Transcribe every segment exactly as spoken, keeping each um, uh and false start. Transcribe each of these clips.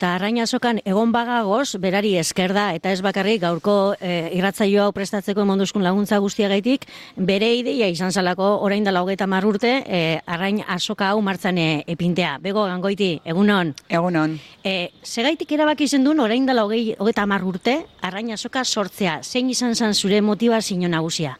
Ta Arrain Azokan egon bagagoz, berari esker da, eta ez bakarrik gaurko e, irratzaio hau prestatzeko emonduzkun laguntza guztiagaitik, bere ideia izan zalako orain dela hogeita hamar urte, e, Arrain Azoka hau martzan e, epintea. Bego, Gangoiti, egunon? Egunon. E, segaitik erabaki zen duen orain dela hogeita hamar urte, Arrain Azoka sortzea. Zein izan zen zure motivazio nagusia?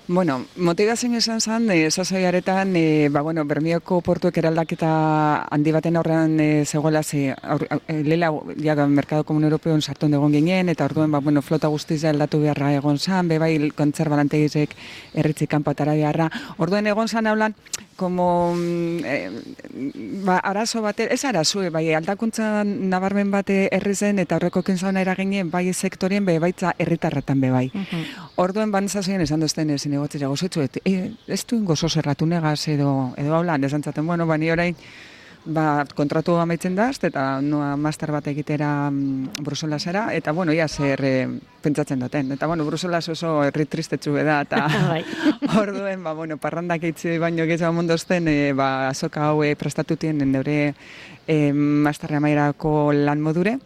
Bueno, motivazioa izan zen, e, sasaiaretan, e, ba, bueno, Bermeoko portuek eraldaketa handi baten aurrean e, zegoela, ze, aur, e, lela, ja, Merkado Komun Europeon sartu egon ginen, eta orduan, ba, bueno, flota guztiza aldatu beharra egon zan, bebai kontserbalantegizek erritzik kanpatara beharra. Orduan egon zan haulan, como, eh, ba, arazo bate, ez arazo, bai, aldakuntza nabarmen bate herri zen, eta horreko kintzana eraginen, bai sektorien, be, baitza herritarretan be, bai. Uh-huh. Orduan, bantzazien esan dozten ezin egotzera gozitzu, et, e, ez duen gozo zerratu negaz, edo, edo haulan, esan zaten, bueno, bani orain, ba, kontratu amaitzen daz, eta noa master bat egitera mm, Bruselasera, eta, bueno, ia zer e, pentsatzen duten. Eta, bueno, Bruselas oso herri tristetxu beda, eta orduen, ba, bueno, parrandak eitzi baino gehiago mondozten, e, ba, azoka hau e, prestatutien neure e, masterra mairako lan modure.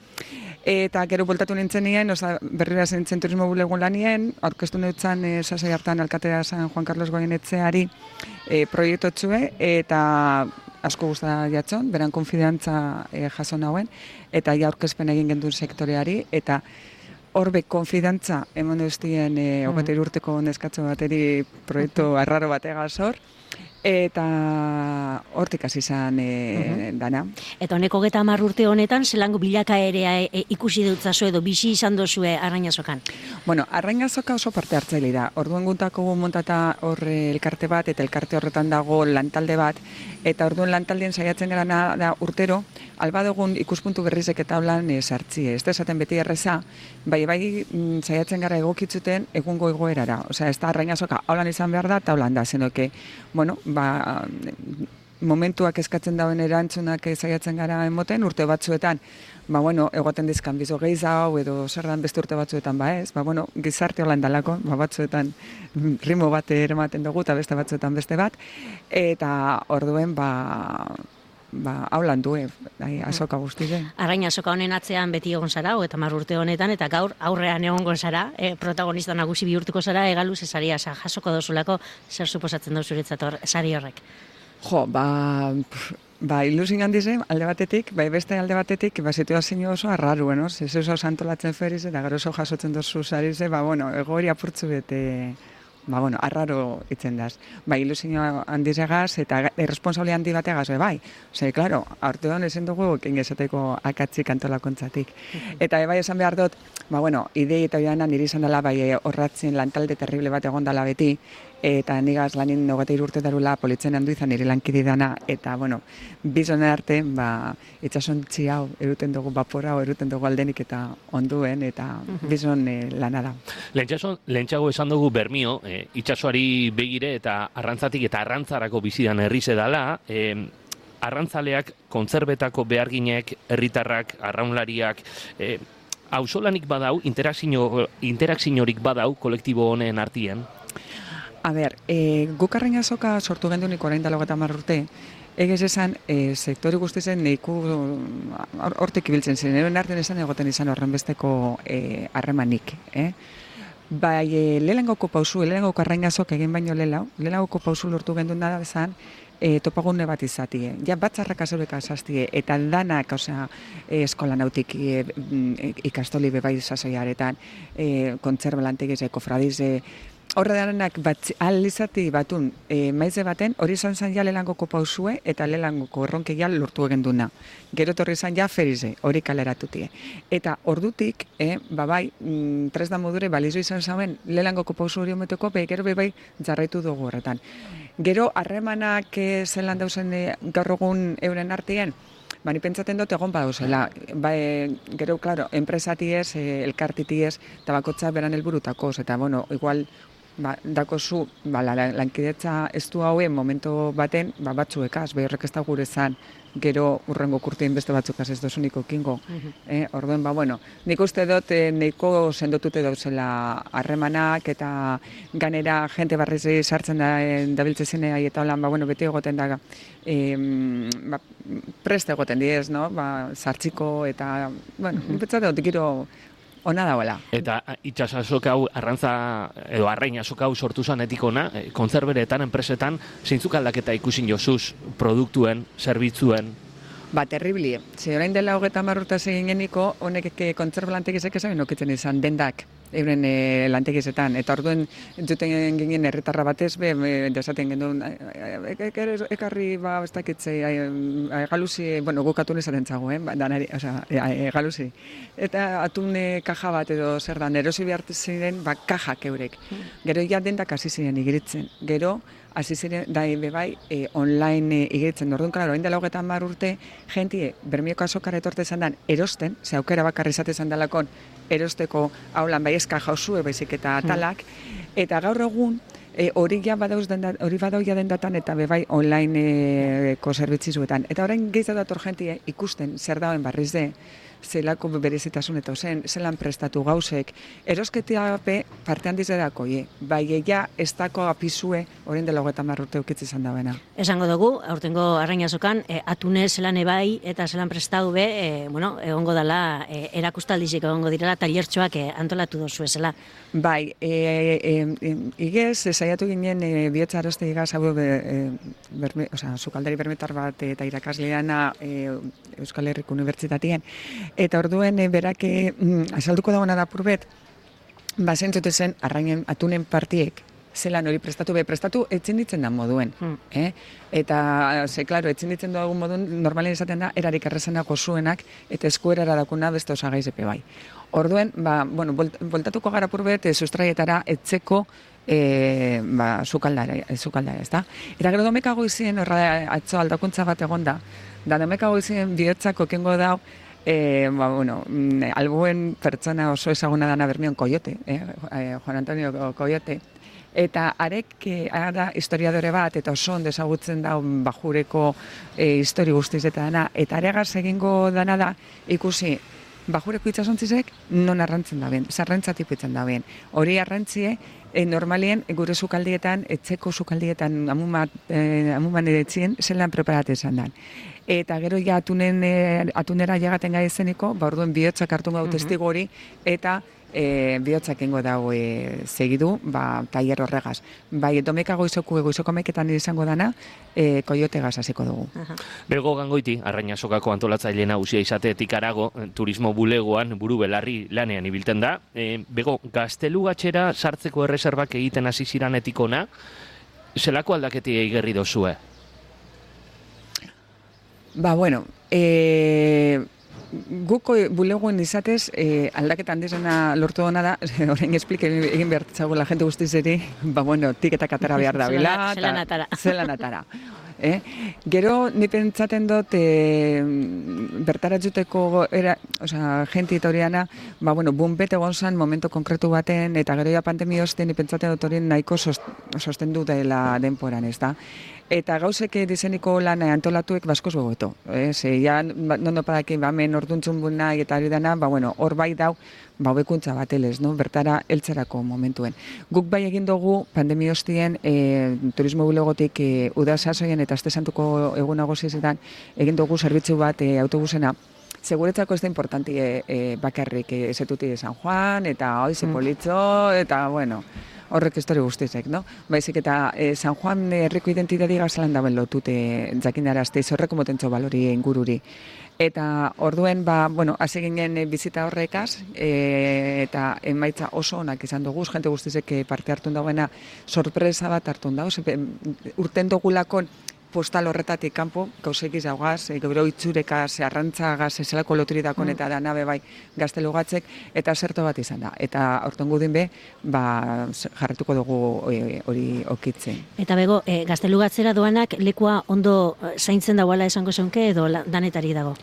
Eta gero bultatu nintzen nien, oza, berrira zentzen turismo bulegun lanien, aurkeztu neutzan e, sasai hartan alkatea San Juan Carlos Goienetzeari e, proiektu txue, eta asko guzta jatzon, beran konfidantza e, jaso nauen, eta ja aurkezpen egin gendun sektoreari, eta horbe konfidantza emon duztien e, hogeita hiru urteko neskatxo bateri proiektu arraro bategaz hor, eta hortik hasi izan e, uh-huh. dana. Eta honeko hogeita hamar urte honetan, zelango bilakaerea e, ikusi dutzazu edo bizi izan dozue Arrain Azokan? Bueno, Arrain Azoka oso parte hartzaile da. Orduan guntako montata hor elkarte bat, eta elkarte horretan dago lantalde bat, eta orduan lantaldien saiatzen gara da urtero, alba dugun ikuspuntu berrizek eta holan e, sartzi. Ez da esaten beti erreza, bai bai m, saiatzen gara egokitzuten egungo egoerara. Osea, ez da Arrain Azoka holan izan behar da, eta holan da, zenoke, bueno, ba, momentuak eskatzen dauen erantzunak saiatzen gara emoten, urte batzuetan, ba, bueno, egoten dizkan bizo gehiago, edo zerdan beste urte batzuetan, ba ez, ba, bueno, gizarte holan dalako, ba, batzuetan rimo bat eramaten dugu, eta beste batzuetan beste bat, eta orduen, ba, ba, haulan du, bai, azoka guztize. Arrain Azoka honen atzean beti egon zara, eta hamar urte honetan, eta gaur aurrean egongo zara, e, protagonista nagusi bihurtuko zara, egaluz esaria, jasoko dozulako, zer suposatzen dut zuretzat sari horrek? Jo, ba, ba ilusin handize, alde batetik, bai beste alde batetik, ba situazio oso arraru, no? Ez oso santolatzen feriz, eta gero oso jasotzen dozu sarize, ba, bueno, egori apurtzu bete, ba, bueno, arraro itzen daz. Ba, ilusio handizegaz, eta irresponsabili handi bategaz, bai. Ose, klaro, aurtean ezen dugu, ingesateko akatzik antolakontzatik. Eta bai esan behar dut, ba, bueno, idei eta joanan niri izan dela, bai, horratzen lantalde terrible bat egon dela beti, eta nigaz lanin hogeita hiru urte darula politzen handu izan nire lankide dana, eta, bueno, bizonen arte, ba, itxasontzi hau, eruten dugu bapora, eruten dugu aldenik eta onduen, eta bizon eh, lana da. Lehentxago esan dugu Bermio, eh, itxasoari begire eta arrantzatik eta arrantzarako bizidan herrize dala, eh, arrantzaleak, kontzervetako beharginek, herritarrak, arraunlariak, eh, auzolanik badau, interakzio, interakziorik badau kolektibo honen artien? A ber, e, guk Arrain Azoka sortu gendunik orain dela hogeita hamar urte, egez esan, e, sektori guztizen neiku hortik ibiltzen zen, eroen artean esan egoten izan horren besteko harremanik. E, eh? Bai, e, lehengoko pausu, lehengoko Arrain Azoka egin baino lelau, lehengoko pausu lortu gendun da bezan, e, topagune bat izatie. Ja, batzarrak azoreka azaztie, eta danak, osea, e, eskola nautik e, e, ikastoli bebai sasaiaretan, e, kontserbalantegiz, kofradize, horre danak bat, alizati batun e, maize baten, hori izan zen ja lelangoko pausue eta lelangoko erronke ja lortu egin duna. Gero torri izan ja ferize, hori kaleratutie. Eta ordutik, e, babai, mm, tresda modure balizu izan zauen lelangoko pausu hori ometeko, be, gero bebai jarraitu dugu horretan. Gero, harremanak e, zelan dauzen e, gaur egun euren artien, Bani pentsaten dut egon badauzela. Ba, e, gero, klaro, enpresatiez, e, elkartitiez, tabakotza beran helburutakoz, eta, bueno, igual, ba, dakozu, ba, lankidetza ez du hauen momentu baten, ba, batzuekaz, behorrek ez da gure zan, gero urrengo kurtien beste batzukaz ez dozuniko kingo. Uh-huh. eh, orduen, ba, bueno, nik uste dut eh, neiko sendotute dauzela harremanak eta ganera jente barriz sartzen da eh, dabiltze zenea eta holan, ba, bueno, beti egoten da eh, ba, prest egoten diez, no? Ba, sartziko eta, bueno, nipetzate otikiro ona dagoela. Eta itxas azoka hau, arrantza, edo arrain azoka hau sortu zanetik ona, eh, kontzerberetan, enpresetan, zeintzuk aldaketa ikusin jozuz, produktuen, zerbitzuen? Ba, terribli. Ze orain dela hogeta marruta egin geniko, honek kontzerb lantegizek esan nokitzen izan dendak, euren e, lantegizetan. Eta orduen, entzuten ginen herritarra batez, be, desaten genuen, ekarri, ba, ez dakitzei, egaluzi, bueno, gukatu nezaten zago, eh? Danari, oza, egaluzi. Eta atune kaja bat edo zer da, erosi behar ziren, ba, kajak eurek. Gero ja dendak hasi ziren igiritzen. Gero, hasi ziren, da bebai, e, online e, igiritzen. Orduan, klaro, orain dela hogeta hamar urte, jentie, Bermioko azokara etorte izan dan, erosten, ze aukera bakarri izate izan dalakon, erosteko haulan bai eska jauzue baizik eta atalak, eta gaur egun, e, hori ja badauz denda, hori badau ja dendatan eta bebai online e, ko zerbitzizuetan. Eta orain gehiago dator jentie ikusten zer dauen barriz de, zelako berezitasun eta zen, zelan prestatu gauzek, erosketia pe parte handiz edako, ye. Bai, egia ez dako apizue, orain dela hogeta marrurte ukitzi izan dagoena. Esango dugu, aurtengo arrain azokan, e, atune zelan ebai eta zelan prestatu be, e, bueno, egongo dela, e, erakustaldizik egongo direla, taliertxoak e, antolatu dozu ezela. Bai, e, e, e, igez, saiatu ginen e, bihotza aroste igaz, hau, e, berme, oza, sukaldari bermetar bat eta irakasleana e, Euskal Herriko Unibertsitatien, eta orduen e, berak e, azalduko dagoena da purbet, ba zentzute zen arrainen atunen partiek, zelan hori prestatu be, prestatu etzin ditzen da moduen. Hmm. Eh? Eta, ze, klaro, etzin ditzen dugu moduen, normalen izaten da, erarik errezenako zuenak, eta eskuerara dakuna beste osagaiz epe bai. Orduen, ba, bueno, voltatuko gara purbet, e, sustraietara etzeko e, ba, zukaldare, zukaldare, ez da? Eta gero domekago izien, horra atzo aldakuntza bat egonda, da domekago izien bihotzako kengo dau, E, ba, bueno, albuen pertsona oso ezaguna dana Bermion Koiote, eh? Juan Antonio Koiote, eta arek e, da historiadore bat, eta oso ondo ezagutzen da bajureko e, histori guztiz eta dana, eta aregaz egingo dana da ikusi bajureko itxasontzizek non arrantzen da ben, zarrentzatik pitzen da ben. Hori arrantzie, e, normalien gure sukaldietan, etzeko sukaldietan amuman e, edetzien, zelan preparate izan dan. Eta gero ja atunen, e, atunera jagaten gai zeniko, ba orduen bihotzak hartu gau testigo hori, eta e, bihotzak ingo dago e, segidu, ba, tailer horregaz. Bai, domeka goizoku, goizoko meketan izango dana, e, koiote gaz hasiko dugu. Aha. Belgo Gangoiti, arraina sokako antolatzaile nagusia izatetik arago, turismo bulegoan buru belarri lanean ibilten da. E, bego, gaztelugatxera sartzeko erreserbak egiten hasi ziranetik ona, zelako aldaketi egerri dozue? Ba, bueno, e, guko bulegoen izatez, e, aldaketa handizena lortu dona da, orain esplike egin behar txago la gente guztizeri, ba, bueno, tiketak atara behar da bila. Zelan atara. Zelan atara. Eh? Gero, ni pentsaten dut, e, bertaratzuteko, era, oza, jenti eta horiana, ba, bueno, bunbet egon zan momento konkretu baten, eta gero ja pandemia osten, ni pentsaten dut horien nahiko sosten du dela denporan, ez da? Eta gauzek dizeniko lan antolatuek baskoz begoeto. Eh? Ze, ja, nondo padakin, ba, men orduntzun buna eta ari dana, ba, bueno, hor bai dau, ba, hobekuntza bat elez, no? Bertara heltzerako momentuen. Guk bai egin dugu, pandemia hostien, e, turismo bulegotik e, udasasoien eta aste santuko egun nagusizetan, egin dugu zerbitzu bat e, autobusena, seguretzako ez da importanti e, e, bakarrik e, ezetuti San Juan, eta oize politzo, eta, bueno, horrek histori guztizek, no? Baizik eta e, San Juan herriko identitate gazalan daben lotute jakindarazte, horreko motentxo balori ingururi. Eta orduen, ba, bueno, hasi ginen bizita horrekaz, e, eta emaitza oso onak izan dugu, jente guztizek parte hartun dagoena sorpresa bat hartun dago, urten dugulakon postal horretatik kanpo, gauzek izaugaz, e, gero itzurekaz, arrantzagaz, ezelako loturidakon eta da nabe bai gaztelugatzek, eta zerto bat izan da. Eta horten gudin be, ba, jarretuko dugu hori e, okitzen. Eta bego, e, gaztelugatzera doanak lekua ondo zaintzen dagoela esango zeunke edo danetari dago?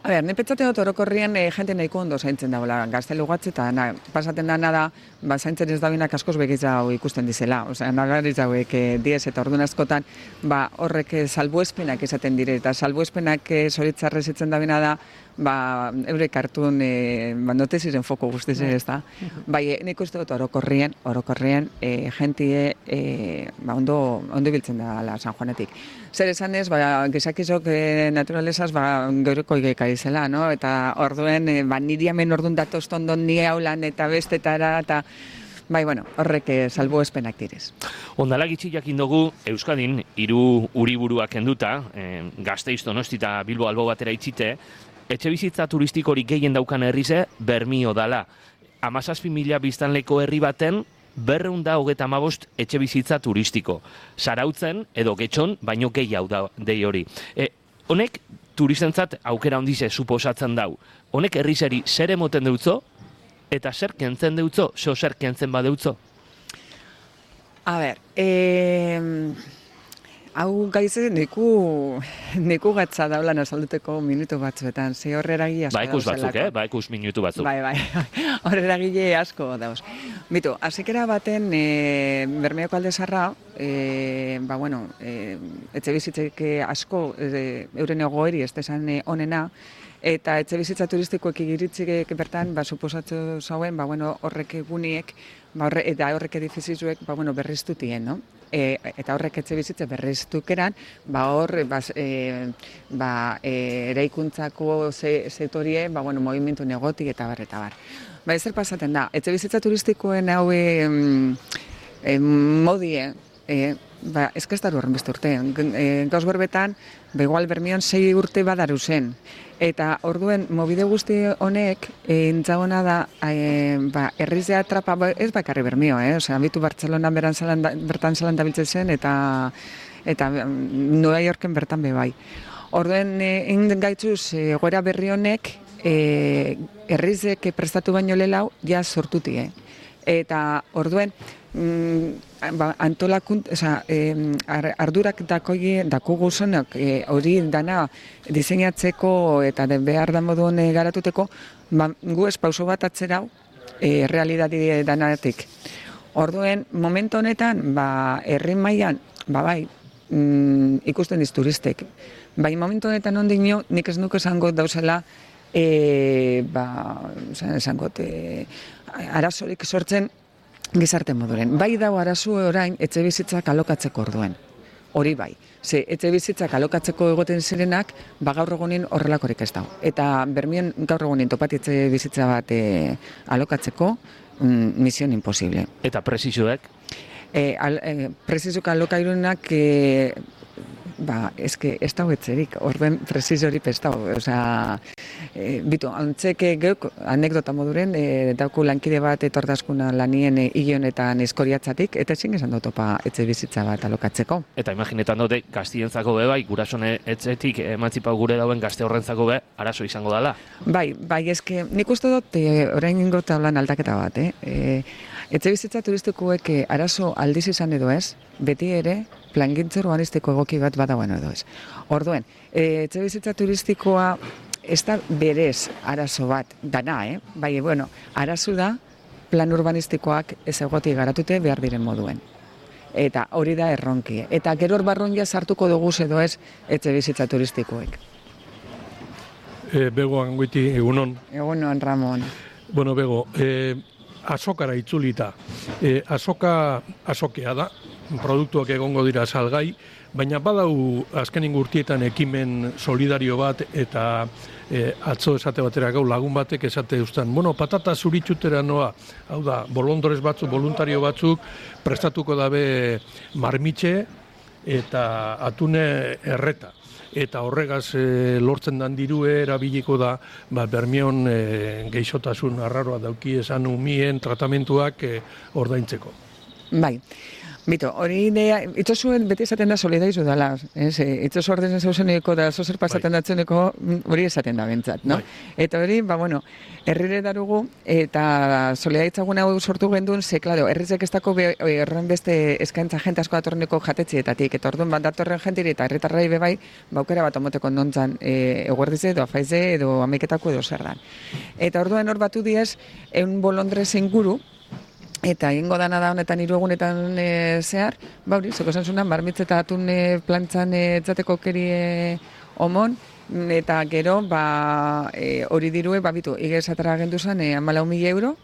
A ber, nepetzaten dut orokorrian e, jente nahiko ondo zaintzen dagoela gaztelugatze, eta na, pasaten da nada, ba, zaintzen ez dabinak askoz begitza ikusten dizela. Osea, nagariz hauek e, diez eta orduan askotan, ba, horrek salbuespenak izaten dire, eta salbuespenak e, zoritzarrez itzen dabina da, ba, eurek hartun e, ba, noteziren foko guztiz ez da. Bai, nik uste dut orokorrien, orokorrien e, jentie e, ba, ondo, ondo biltzen da la San Juanetik. Zer esan ez, ba, gizakizok e, naturalezaz ba, gaureko igeka izela, no? Eta orduen, e, ba, niri hemen ordun datoz tondon ni haulan eta bestetara, eta bai, bueno, horrek salbu espenak direz. Ondala gitxi jakin dugu, Euskadin, hiru uriburuak kenduta, eh, Gasteiz, Donosti eta Bilbo albo batera itxite, etxe bizitza turistikorik gehien daukan herrize, Bermio dala. Hamazazpi mila biztanleko herri baten, berreun da hogeta hamabost etxe bizitza turistiko. Zarautzen, edo Getxon, baino gehiago da dei hori. E, honek, turistentzat aukera handize suposatzen dau. Honek herrizeri zer emoten deutzo, eta zer kentzen deutzo, zo zer kentzen badeutzo? A ber, eh, hau gaize neku, neku gatza daulan azalduteko minutu batzuetan, ze horreragi asko ba, ikus dauzelako. batzuk, eh? Ba, ikus minutu batzuk. Bai, bai, horreragile asko dauz. Bitu, azikera baten e, Bermeoko alde zarra, e, ba, bueno, e, etxe bizitzek asko e, euren egoeri ez desan e, onena, eta etxe bizitza turistikoek igiritzik bertan, ba, suposatu zauen, ba, bueno, horrek eguniek, ba, horre, eta horrek edifizizuek, ba, bueno, berriztutien, no? E, eta horrek etxe bizitze berriztukeran, ba, hor, ba, e, ba, e, eraikuntzako ze, sektorie, ba, bueno, movimentu negoti eta bar, eta bar. Ba, ezer pasaten da, etxe bizitza turistikoen hau e, e, modie, e, ba, ez que ez daru horren beste urte. E, gauz berbetan, ba, igual Bermion sei urte badaru zen. Eta orduen, mobide guzti honek, entzagona da, e, ba, errizea atrapa, ba, ez bakarri Bermio, eh? Osea, bitu Bartzelona beran zalanda, bertan zalanda biltzen zen, eta, eta Nueva Yorken bertan bebai. Orduen, egin e, gaitzuz, e, goera berri honek, e, errizek prestatu baino lelau, ja sortutie. Eta orduen, mm, ba, antolakunt, oza, e, ardurak dakoi, dakugu zonak, hori e, dana diseinatzeko eta de behar da moduen e, garatuteko, ba, gu ez pauso bat atzerau, e, realidadi danatik. Orduen, momentu honetan, ba, herri mailan, ba, bai, mm, ikusten diz turistek. Bai, momentu honetan ondino, nik ez nuke esango dauzela, e, ba, esango, e, arazorik sortzen gizarte moduren. Bai dago arazu orain etxe bizitzak alokatzeko orduen. Hori bai. Ze etxe bizitzak alokatzeko egoten zirenak, ba gaur egunin horrelakorik ez dago. Eta Bermion gaur egunin topati etxe bizitza bat e, alokatzeko, mm, misión imposible. Eta presizoek? E, al, e, presizuk alokairunak e, ba, eske ez dago etxerik, orduen presizorik ez dago. Osea, e, bitu, antzeke geuk, anekdota moduren, e, dauku lankide bat etordaskuna lanien e, igionetan eskoriatzatik, eta ezin esan topa etxe bizitza bat alokatzeko. Eta imaginetan dute, gaztientzako be, bai, gurasone etxetik emantzipau gure dauen gazte horrentzako be, arazo izango dela. Bai, bai, eske, nik uste dut, e, orain ingo tablan aldaketa bat, eh? E, etxe bizitza turistikoek e, arazo aldiz izan edo ez, beti ere, plangintza urbanistiko egoki bat badagoen edo ez. Orduen, e, etxe bizitza turistikoa ez da berez arazo bat dana, eh? Bai, bueno, arazo da plan urbanistikoak ez egoti garatute behar diren moduen. Eta hori da erronki. Eta gero barrun ja sartuko dugu edo ez etxe bizitza turistikoek. E, bego angoiti, egunon. Egunon, Ramon. Bueno, bego, e, azokara itzulita. E, azoka azokea da, produktuak egongo dira salgai, baina badau azkenin urtietan ekimen solidario bat eta e, atzo esate batera gau lagun batek esate eustan. Bueno, patata zuritxutera noa, hau da, bolondorez batzuk, voluntario batzuk, prestatuko dabe marmitxe eta atune erreta. Eta horregaz e, lortzen dan dirue erabiliko da ba, Bermion e, geixotasun arraroa dauki esan umien tratamentuak e, ordaintzeko. Bai. Bito, hori idea, itzosuen beti esaten da solidarizu dela, ez? Itzosu ordezen zauzeneko da zozer pasaten bai. Datzeneko hori esaten da bentsat, no? Bai. Eta hori, ba, bueno, herrire darugu, eta solidaritzaguna hau sortu gendun, ze, klaro, herrizek ez dako erren beste eskaintza jente asko datorneko jatetxietatik, eta orduan bat datorren jentiri eta herritarrai bebai, baukera bat omoteko nontzan e, eguerdize edo afaize edo ameketako edo zerdan. Eta orduan hor batu diez, eun bolondrez inguru, eta egingo dana da honetan hiru egunetan e, zehar, ba hori, zeko zensunan, marmitz eta atun e, plantzan e, etzateko keri e, omon, Eta gero, ba, e, hori dirue, babitu, igezatara agendu zen, e, amalau mila euro,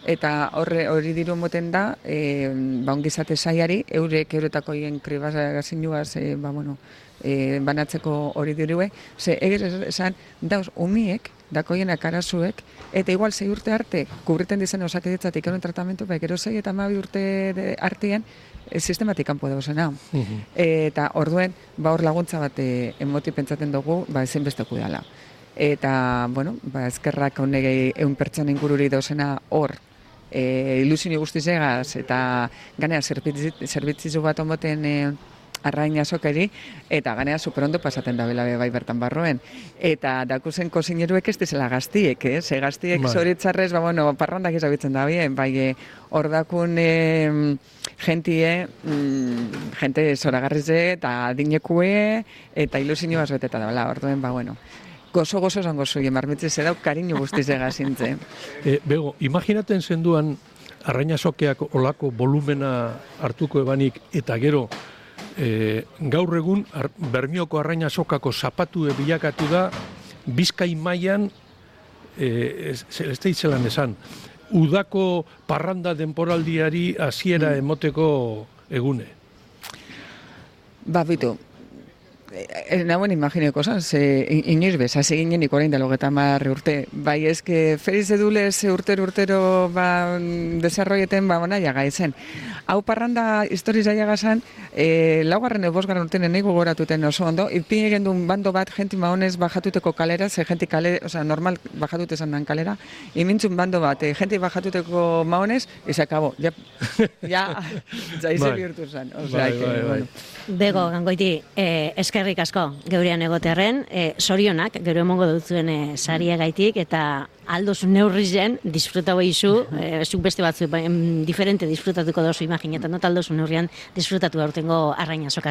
eta horre hori diru moten da, e, ba, ongizate saiari, eurek eurotako hien kribazagazinuaz, e, ba, bueno, e, banatzeko hori dirue, ze egez esan, dauz, umiek, dakoienak arazuek, eta igual zei urte arte, kubriten dizen osakidetzatik eron tratamentu, ba, gero zei eta amabi urte artean, e, sistematik kanpo dauzena. Uh-huh. Eta orduen, ba, hor laguntza bat e, emoti pentsaten dugu, ba, ezin besteku dela. Eta, bueno, ba, ezkerrak honegei eun pertsona ingururi dauzena hor, e, ilusini guztizegaz, eta ganea zerbitzizu bat omoten e, arrain azokari, eta ganea superondo pasaten da bela bai bertan barroen. Eta dakuzen kozineruek ez dizela gaztiek, eh? Ze gaztiek zoritzarrez, ba, bueno, parrandak izabitzen da bien, bai, hor dakun e, gentie, mm, jente zoragarrize eta adinekue, eta ilusinio bazbeteta da, bela, orduen, ba, bueno, gozo-gozo zango zuien, marmitzize dau, kariño guztizega zintze. E, bego, imaginaten zenduan arrainazokeak olako volumena hartuko ebanik, eta gero, E, gaur egun ar, Bermioko arrainazokako zapatu bilakatu da Bizkai mailan e, ez, ez da itzelan esan udako parranda denporaldiari hasiera emoteko egune. Ba, bitu, nagoen imagineko zan, ze inoiz bez, hasi ginen ikorain da logeta marre urte. Bai, ezke feriz edulez urtero urtero ba, desarroieten ba, bona jaga izen. Hau parranda historiz jaiaga zan, e, laugarren edo bosgarren urtenen ego goratuten oso ondo, ipin egen duen bando bat jenti maonez bajatuteko kalera, ze jenti kale, oza, normal bajatute zan dan kalera, imintzun bando bat, e, jenti bajatuteko maonez, y se acabó. Ja, ja, jaize bihurtu zan. O sea, bai, bai, bai. Bueno. Bego, gangoiti, eh, eskerrik asko geurean egoterren, eh, sorionak, geure emongo dutzuen eh, sariagaitik, eta aldozu neurrizen, disfrutau eizu, eh, zuk beste batzu, diferente disfrutatuko dozu imaginetan, not aldozu neurrian disfrutatu aurtengo arrainazokaz.